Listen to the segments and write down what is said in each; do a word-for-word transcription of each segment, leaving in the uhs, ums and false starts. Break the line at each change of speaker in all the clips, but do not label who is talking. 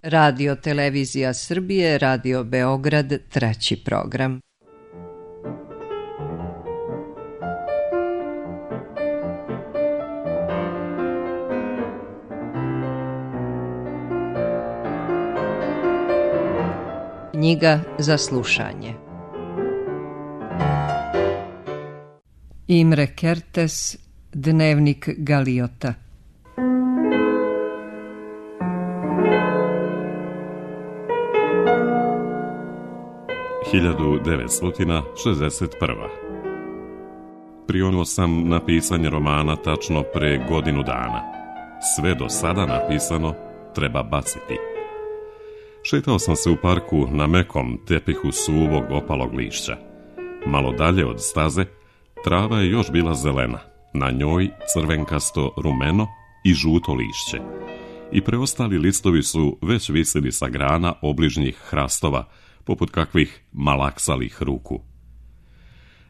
Radio Televizija Srbije, Radio Beograd, treći program. Knjiga za slušanje. Imre Kertész, Dnevnik Galiota.
hiljadu devetsto šezdeset prva. Prionuo sam na pisanje romana tačno pre godinu dana. Sve do sada napisano treba baciti. Šetao sam se u parku na mekom tepihu suvog opalog lišća. Malo dalje od staze, trava je još bila zelena. Na njoj crvenkasto, rumeno i žuto lišće. I preostali listovi su već visili sa grana obližnjih hrastova, poput kakvih malaksalih ruku.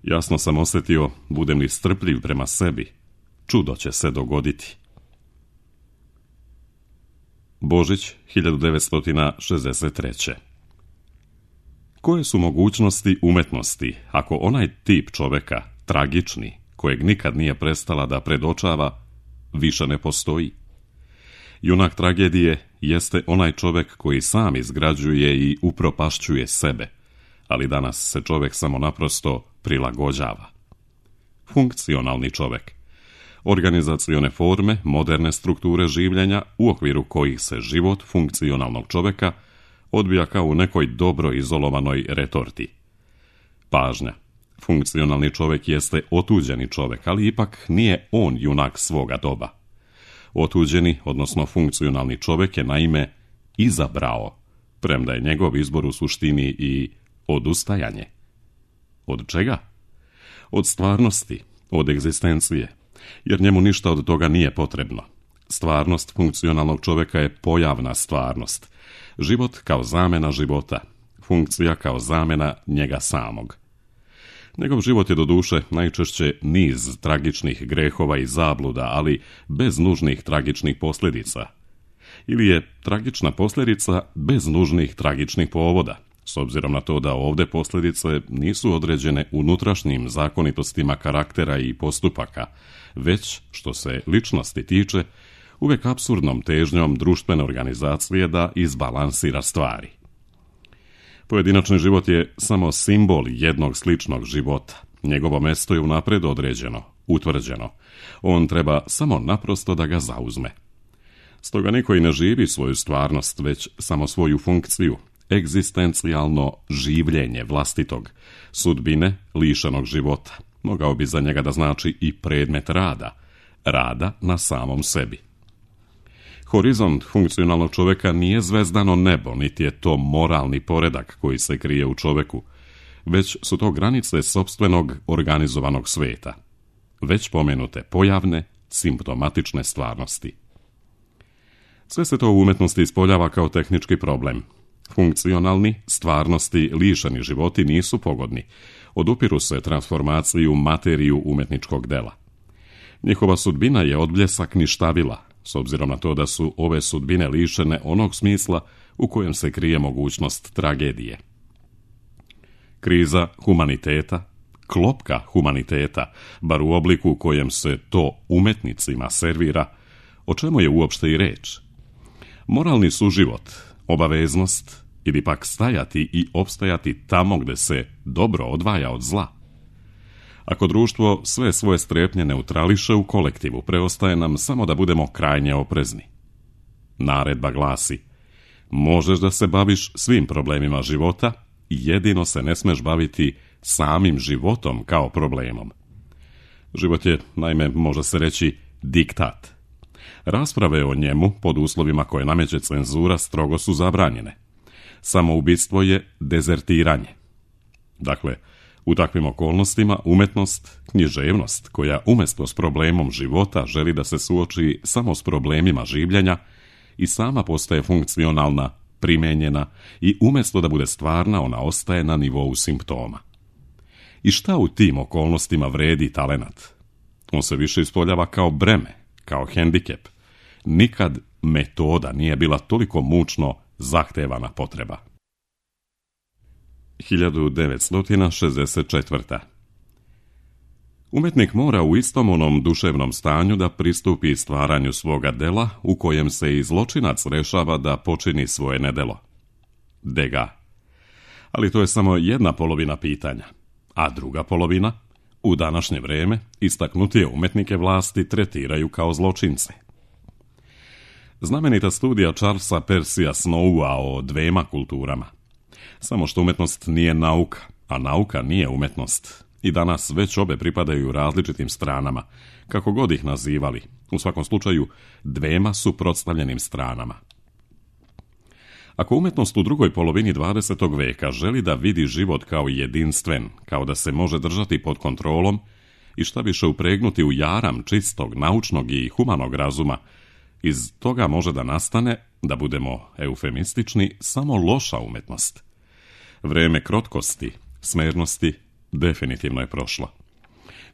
Jasno sam osjetio, budem li strpljiv prema sebi, čudo će se dogoditi. Božić hiljadu devetsto šezdeset treće. Koje su mogućnosti umetnosti ako onaj tip čoveka, tragični, kojeg nikad nije prestala da predočava, više ne postoji? Junak tragedije jeste onaj čovek koji sam izgrađuje i upropašćuje sebe, ali danas se čovek samo naprosto prilagođava. Funkcionalni čovek. Organizacione forme, moderne strukture življenja u okviru kojih se život funkcionalnog čoveka odbija kao u nekoj dobro izolovanoj retorti. Pažnja. Funkcionalni čovek jeste otuđeni čovek, ali ipak nije on junak svoga doba. Otuđeni, odnosno funkcionalni čovek je naime izabrao, premda je njegov izbor u suštini i odustajanje. Od čega? Od stvarnosti, od egzistencije, jer njemu ništa od toga nije potrebno. Stvarnost funkcionalnog čoveka je pojavna stvarnost, život kao zamena života, funkcija kao zamena njega samog. Njegov život je doduše najčešće niz tragičnih grehova i zabluda, ali bez nužnih tragičnih posljedica. Ili je tragična posljedica bez nužnih tragičnih povoda, s obzirom na to da ovdje posljedice nisu određene unutrašnjim zakonitostima karaktera i postupaka, već, što se ličnosti tiče, uvijek apsurdnom težnjom društvene organizacije da izbalansira stvari. Pojedinačni život je samo simbol jednog sličnog života. Njegovo mesto je unaprijed određeno, utvrđeno. On treba samo naprosto da ga zauzme. Stoga niko i ne živi svoju stvarnost, već samo svoju funkciju, egzistencijalno življenje vlastitog, sudbine lišenog života. Mogao bi za njega da znači i predmet rada, rada na samom sebi. Horizont funkcionalnog čoveka nije zvezdano nebo, niti je to moralni poredak koji se krije u čoveku, već su to granice sopstvenog organizovanog sveta, već pomenute pojavne, simptomatične stvarnosti. Sve se to u umetnosti ispoljava kao tehnički problem. Funkcionalni, stvarnosti, lišeni životi nisu pogodni, odupiru se transformaciji u materiju umetničkog dela. Njihova sudbina je odbljesak ništavila, s obzirom na to da su ove sudbine lišene onog smisla u kojem se krije mogućnost tragedije. Kriza humaniteta, klopka humaniteta, bar u obliku u kojem se to umetnicima servira, o čemu je uopšte i reč? Moralni suživot, obaveznost ili pak stajati i opstajati tamo gde se dobro odvaja od zla. Ako društvo sve svoje strepnje neutrališe u kolektivu, preostaje nam samo da budemo krajnje oprezni. Naredba glasi: možeš da se baviš svim problemima života, jedino se ne smeš baviti samim životom kao problemom. Život je, naime, može se reći, diktat. Rasprave o njemu, pod uslovima koje nameće cenzura, strogo su zabranjene. Samoubistvo je dezertiranje. Dakle, u takvim okolnostima umetnost, književnost, koja umjesto s problemom života želi da se suoči samo s problemima življenja, i sama postaje funkcionalna, primenjena i umjesto da bude stvarna, ona ostaje na nivou simptoma. I šta u tim okolnostima vredi talenat? On se više ispoljava kao breme, kao hendikep. Nikad metoda nije bila toliko mučno zahtevana potreba. hiljadu devetsto šezdeset četvrta. Umetnik mora u istom onom duševnom stanju da pristupi stvaranju svoga dela u kojem se i zločinac rešava da počini svoje nedelo. Degas. Ali to je samo jedna polovina pitanja, a druga polovina, u današnje vrijeme, istaknutije umetnike vlasti tretiraju kao zločince. Znamenita studija Charlesa Percija Snowa o dvema kulturama. Samo što umetnost nije nauka, a nauka nije umetnost. I danas već obe pripadaju različitim stranama, kako god ih nazivali, u svakom slučaju dvema suprotstavljenim stranama. Ako umetnost u drugoj polovini dvadesetog veka želi da vidi život kao jedinstven, kao da se može držati pod kontrolom i šta više upregnuti u jaram čistog, naučnog i humanog razuma, iz toga može da nastane, da budemo eufemistični, samo loša umetnost. Vreme krotkosti, smernosti, definitivno je prošlo.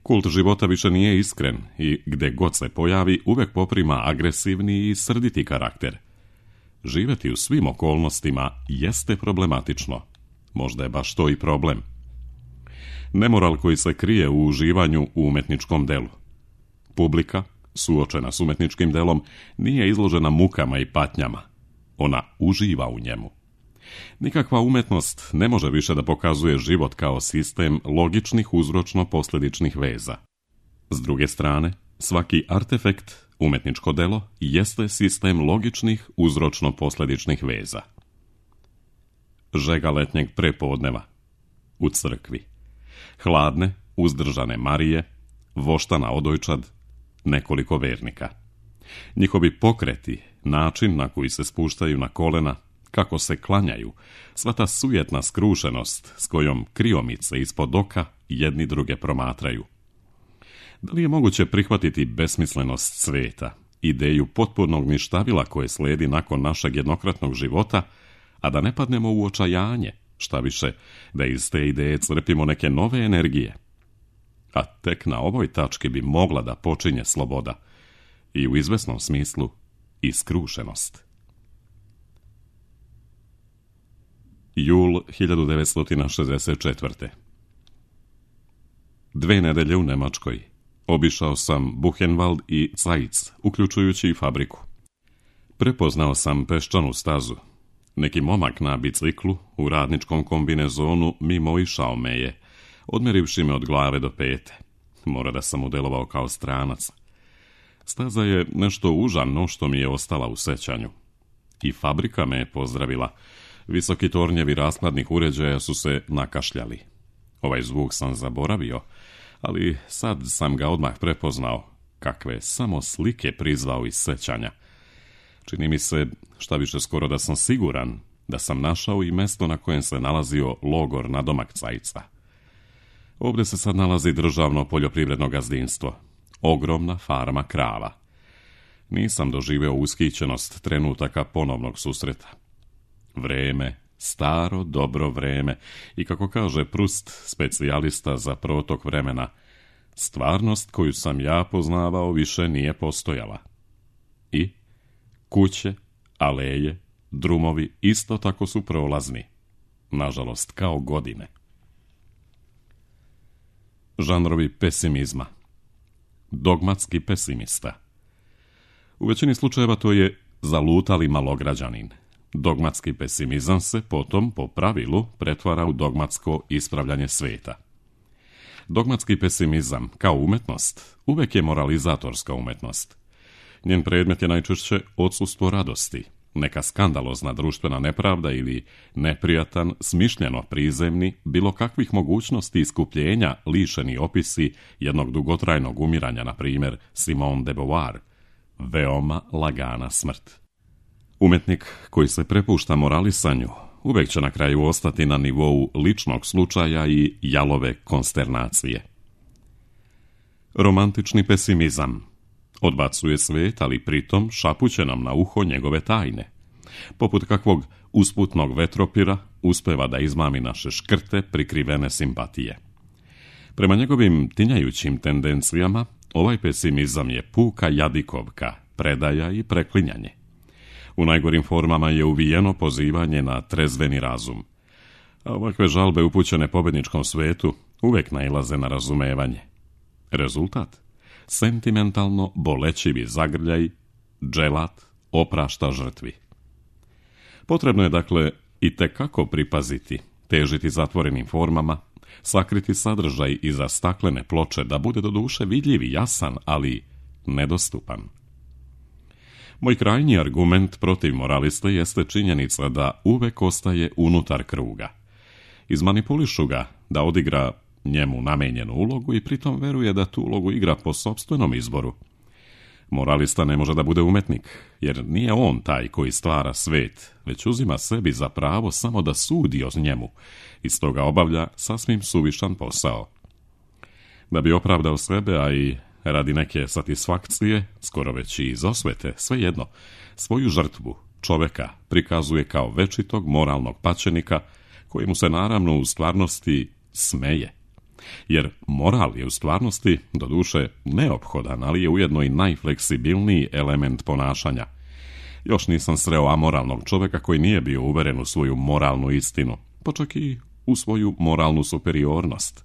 Kult života više nije iskren i gde god se pojavi uvek poprima agresivni i srditi karakter. Živeti u svim okolnostima jeste problematično. Možda je baš to i problem. Nemoral koji se krije u uživanju u umetničkom delu. Publika, suočena s umetničkim delom, nije izložena mukama i patnjama. Ona uživa u njemu. Nikakva umetnost ne može više da pokazuje život kao sistem logičnih uzročno-posljedičnih veza. S druge strane, svaki artefekt, umetničko delo, jeste sistem logičnih uzročno-posljedičnih veza. Žega letnjeg prepodneva u crkvi. Hladne, uzdržane Marije, voštana odojčad, nekoliko vernika. Njihovi pokreti, način na koji se spuštaju na kolena, kako se klanjaju, sva ta sujetna skrušenost s kojom kriomice ispod oka jedni druge promatraju. Da li je moguće prihvatiti besmislenost sveta, ideju potpunog ništavila koje slijedi nakon našeg jednokratnog života, a da ne padnemo u očajanje, šta više, da iz te ideje crpimo neke nove energije? A tek na ovoj tački bi mogla da počinje sloboda i u izvesnom smislu i skrušenost. Jul hiljadu devetsto šezdeset četvrte. Dve nedelje u Nemačkoj. Obišao sam Buchenwald i Zeitz, uključujući i fabriku. Prepoznao sam peščanu stazu. Neki momak na biciklu u radničkom kombinezonu mimo išao me je, odmerivši me od glave do pete. Mora da sam udelovao kao stranac. Staza je nešto užano što mi je ostala u sećanju. I fabrika me je pozdravila. Visoki tornjevi raskladnih uređaja su se nakašljali. Ovaj zvuk sam zaboravio, ali sad sam ga odmah prepoznao, kakve samo slike prizvao iz sećanja. Čini mi se, šta više skoro da sam siguran, da sam našao i mesto na kojem se nalazio logor nadomak Zeitza. Ovdje se sad nalazi državno poljoprivredno gazdinstvo, ogromna farma krava. Nisam doživeo ushićenost trenutaka ponovnog susreta. Vreme, staro, dobro vreme i, kako kaže Proust, specijalista za protok vremena, stvarnost koju sam ja poznavao više nije postojala. I kuće, aleje, drumovi isto tako su prolazni, nažalost kao godine. Žanrovi pesimizma. Dogmatski pesimista. U većini slučajeva to je zalutali malograđanin. Dogmatski pesimizam se potom, po pravilu, pretvara u dogmatsko ispravljanje sveta. Dogmatski pesimizam, kao umetnost, uvek je moralizatorska umetnost. Njen predmet je najčešće odsustvo radosti, neka skandalozna društvena nepravda ili neprijatan, smišljeno prizemni, bilo kakvih mogućnosti iskupljenja lišeni opisi jednog dugotrajnog umiranja, na primjer Simone de Beauvoir, veoma lagana smrt. Umetnik koji se prepušta moralisanju uvek će na kraju ostati na nivou ličnog slučaja i jalove konsternacije. Romantični pesimizam odbacuje svet, ali pritom šapuće nam na uho njegove tajne. Poput kakvog usputnog vetropira uspeva da izmami naše škrte prikrivene simpatije. Prema njegovim tinjajućim tendencijama, ovaj pesimizam je puka jadikovka, predaja i preklinjanje. U najgorim formama je uvijeno pozivanje na trezveni razum. A ovakve žalbe upućene pobjedničkom svetu uvijek nailaze na razumevanje. Rezultat? Sentimentalno bolećivi zagrljaj, dželat oprašta žrtvi. Potrebno je dakle i tekako pripaziti, težiti zatvorenim formama, sakriti sadržaj iza staklene ploče da bude do duše vidljiv i jasan, ali nedostupan. Moj krajnji argument protiv moraliste jeste činjenica da uvek ostaje unutar kruga. Izmanipulišu ga da odigra njemu namenjenu ulogu i pritom veruje da tu ulogu igra po sopstvenom izboru. Moralista ne može da bude umetnik, jer nije on taj koji stvara svet, već uzima sebi za pravo samo da sudi o njemu i stoga obavlja sasvim suvišan posao. Da bi opravdao sebe, a i radi neke satisfakcije, skoro već i iz osvete, svejedno, svoju žrtvu, čoveka, prikazuje kao večitog moralnog pačenika, kojemu se naravno u stvarnosti smeje. Jer moral je u stvarnosti, doduše, neophodan, ali je ujedno i najfleksibilniji element ponašanja. Još nisam sreo amoralnog čoveka koji nije bio uveren u svoju moralnu istinu, pa čak i u svoju moralnu superiornost.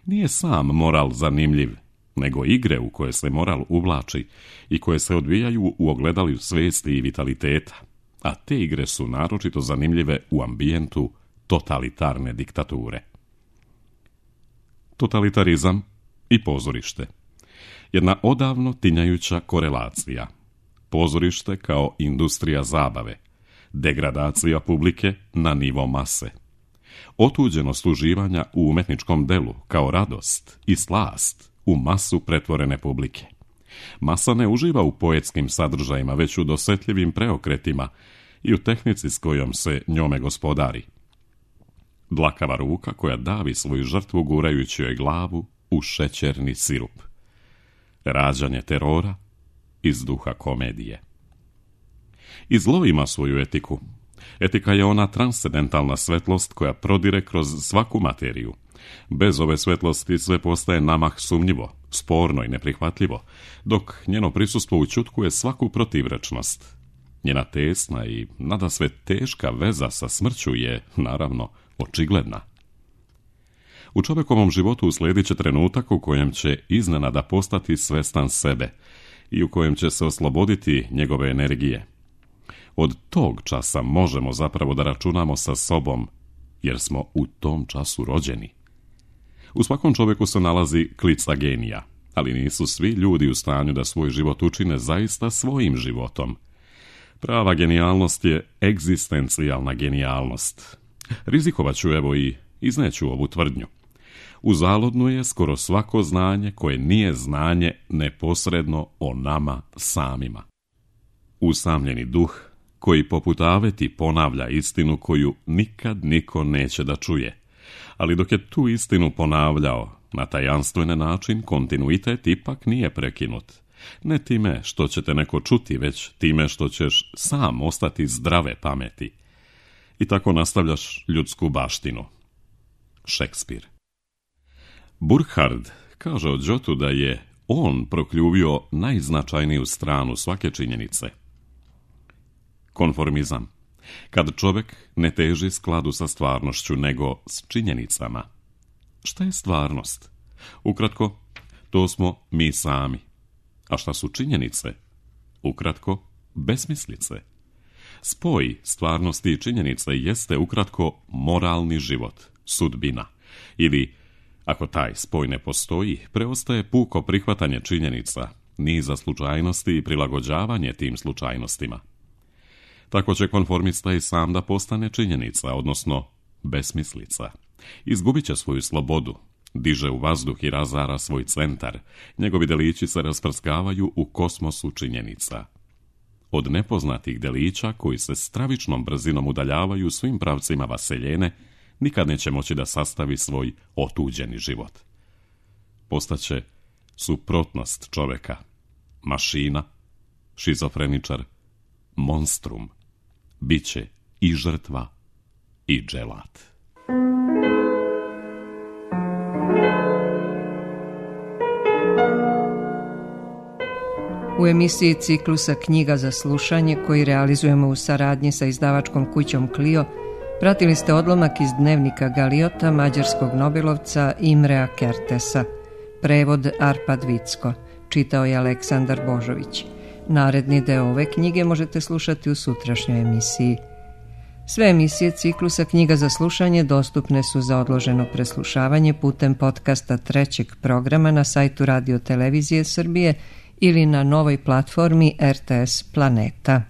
Nije sam moral zanimljiv, nego igre u koje se moral uvlači i koje se odvijaju u ogledalju svesti i vitaliteta, a te igre su naročito zanimljive u ambijentu totalitarne diktature. Totalitarizam i pozorište. Jedna odavno tinjajuća korelacija. Pozorište kao industrija zabave. Degradacija publike na nivo mase. Otuđenost uživanja u umetničkom delu kao radost i slast u masu pretvorene publike. Masa ne uživa u poetskim sadržajima, već u dosetljivim preokretima i u tehnici s kojom se njome gospodari. Dlakava ruka koja davi svoju žrtvu gurajući joj glavu u šećerni sirup. Rađanje terora iz duha komedije. I zlo ima svoju etiku. Etika je ona transcendentalna svetlost koja prodire kroz svaku materiju. Bez ove svetlosti sve postaje namah sumnjivo, sporno i neprihvatljivo, dok njeno prisustvo učutkuje svaku protivrečnost. Njena tesna i nadasve teška veza sa smrću je, naravno, očigledna. U čovjekovom životu uslijedit će trenutak u kojem će iznenada postati svestan sebe i u kojem će se osloboditi njegove energije. Od tog časa možemo zapravo da računamo sa sobom, jer smo u tom času rođeni. U svakom čovjeku se nalazi klica genija, ali nisu svi ljudi u stanju da svoj život učine zaista svojim životom. Prava genijalnost je egzistencijalna genijalnost. Rizikovat ću evo i izneću ovu tvrdnju. Uzaludno je skoro svako znanje koje nije znanje neposredno o nama samima. Usamljeni duh koji poput aveti ponavlja istinu koju nikad niko neće da čuje. Ali dok je tu istinu ponavljao na tajanstvene način, kontinuitet ipak nije prekinut. Ne time što će te neko čuti, već time što ćeš sam ostati zdrave pameti. I tako nastavljaš ljudsku baštinu. Šekspir. Burkhard kaže o Đotu da je on prokljuvio najznačajniju stranu svake činjenice. Konformizam. Kad čovjek ne teži skladu sa stvarnošću, nego s činjenicama. Šta je stvarnost? Ukratko, to smo mi sami. A šta su činjenice? Ukratko, besmislice. Spoj stvarnosti i činjenice jeste ukratko moralni život, sudbina. Ili, ako taj spoj ne postoji, preostaje puko prihvatanje činjenica, niza slučajnosti i prilagođavanje tim slučajnostima. Tako će konformista i sam da postane činjenica, odnosno besmislica. Izgubit će svoju slobodu, diže u vazduh i razara svoj centar, njegovi delići se rasprskavaju u kosmosu činjenica. Od nepoznatih delića koji se stravičnom brzinom udaljavaju svim pravcima vaseljene, nikad neće moći da sastavi svoj otuđeni život. Postaće suprotnost čoveka, mašina, šizofreničar, monstrum, biće i žrtva i dželat.
U emisiji ciklusa Knjiga za slušanje, koji realizujemo u saradnji sa izdavačkom kućom Clio, pratili ste odlomak iz dnevnika Galiota mađarskog nobelovca Imrea Kertesa. Prevod Arpad Vicko. Čitao je Aleksandar Božović. Naredni deo ove knjige možete slušati u sutrašnjoj emisiji. Sve emisije ciklusa Knjiga za slušanje dostupne su za odloženo preslušavanje putem podcasta trećeg programa na sajtu Radio Televizije Srbije ili na novoj platformi R T S Planeta.